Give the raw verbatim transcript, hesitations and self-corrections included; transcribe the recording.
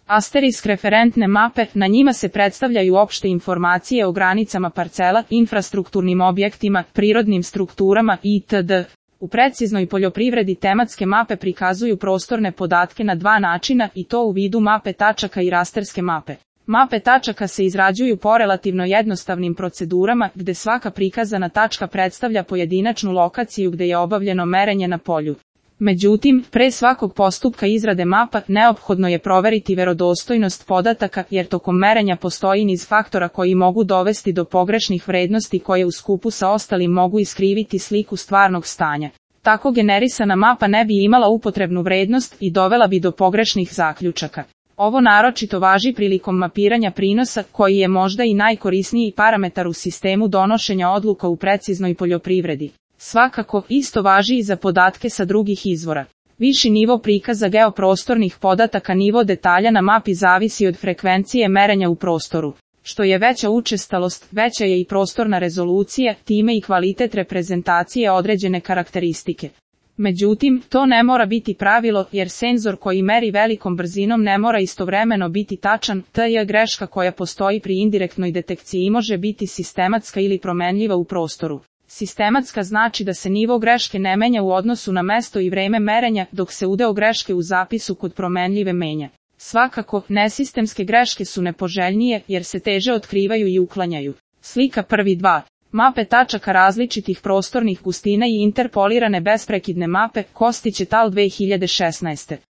Asterisk referentne mape, na njima se predstavljaju opšte informacije o granicama parcela, infrastrukturnim objektima, prirodnim strukturama itd. U preciznoj poljoprivredi tematske mape prikazuju prostorne podatke na dva načina i to u vidu mape tačaka i rasterske mape. Mape tačaka se izrađuju po relativno jednostavnim procedurama, gde svaka prikazana tačka predstavlja pojedinačnu lokaciju gde je obavljeno merenje na polju. Međutim, pre svakog postupka izrade mapa, neophodno je proveriti verodostojnost podataka, jer tokom merenja postoji niz faktora koji mogu dovesti do pogrešnih vrednosti koje u skupu sa ostalim mogu iskriviti sliku stvarnog stanja. Tako generisana mapa ne bi imala upotrebnu vrednost i dovela bi do pogrešnih zaključaka. Ovo naročito važi prilikom mapiranja prinosa, koji je možda i najkorisniji parametar u sistemu donošenja odluka u preciznoj poljoprivredi. Svakako, isto važi i za podatke sa drugih izvora. Viši nivo prikaza geoprostornih podataka, nivo detalja na mapi zavisi od frekvencije merenja u prostoru. Što je veća učestalost, veća je i prostorna rezolucija, time i kvalitet reprezentacije određene karakteristike. Međutim, to ne mora biti pravilo, jer senzor koji meri velikom brzinom ne mora istovremeno biti tačan, te je greška koja postoji pri indirektnoj detekciji može biti sistematska ili promenljiva u prostoru. Sistematska znači da se nivo greške ne menja u odnosu na mesto i vreme merenja, dok se udeo greške u zapisu kod promenljive menja. Svakako, nesistemske greške su nepoželjnije, jer se teže otkrivaju i uklanjaju. Slika prvi dva. Mape tačaka različitih prostornih gustina i interpolirane besprekidne mape, Kostić et al. dve hiljade šesnaeste.